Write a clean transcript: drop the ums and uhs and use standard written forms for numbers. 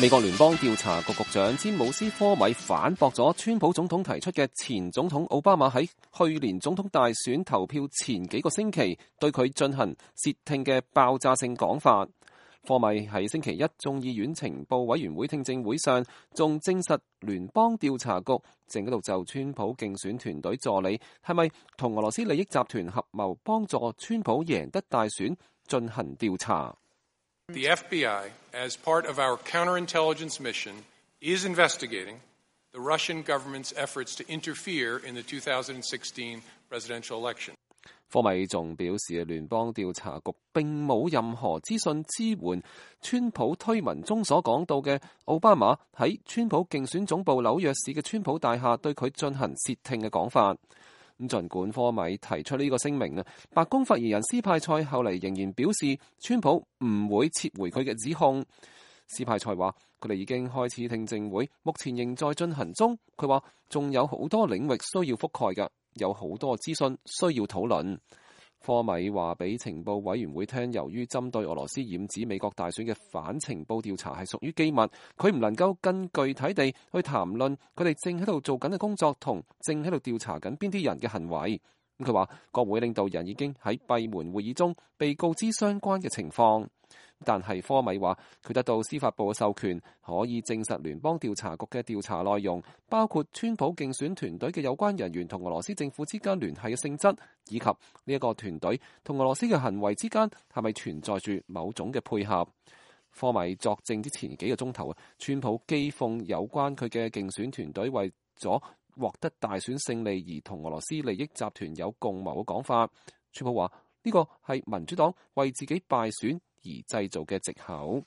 美國聯邦調查局局長詹姆斯科米反駁咗川普總統提出嘅前總統奧巴馬喺去年總統大選投票前幾個星期對佢進行竊聽嘅爆炸性講法。科米喺星期一眾議院情報委員會聽證會上，仲證實聯邦調查局正喺度就川普競選團隊助理係咪同俄羅斯利益集團合謀幫助川普贏得大選進行調查。The FBI, as part of our counterintelligence mission, is investigating the Russian government's efforts to interfere in the 2016 presidential election. 科米仲表示，聯邦調查局並冇任何資訊支援川普推文中所講到嘅奧巴馬喺川普競選總部紐約市嘅川普大廈對佢進行竊聽嘅講法。咁儘管科米提出呢個聲明啊，白宮發言人斯派塞後嚟仍然表示，川普唔會撤回佢嘅指控。斯派塞話，佢哋已經開始聽證會，目前仍在進行中。佢話仲有好多領域需要覆蓋㗎，有好多資訊需要討論。科米話俾情報委員會聽，由於針對俄羅斯染指美國大選嘅反情報調查係屬於機密，佢唔能夠更具體地去談論佢哋正喺度做緊嘅工作同正喺度調查緊邊啲人嘅行為。佢話國會領導人已經喺閉門會議中被告知相關嘅情況。但係科米話佢得到司法部嘅授權，可以證實聯邦調查局嘅調查內容，包括川普競選團隊嘅有關人員同俄羅斯政府之間聯繫嘅性質，以及呢一個團隊同俄羅斯嘅行為之間係咪存在住某種嘅配合。科米作證之前幾個鐘頭，川普譏諷有關佢嘅競選團隊為咗獲得大選勝利而同俄羅斯利益集團有共謀嘅講法。川普話呢個係民主黨為自己敗選而製造嘅藉口。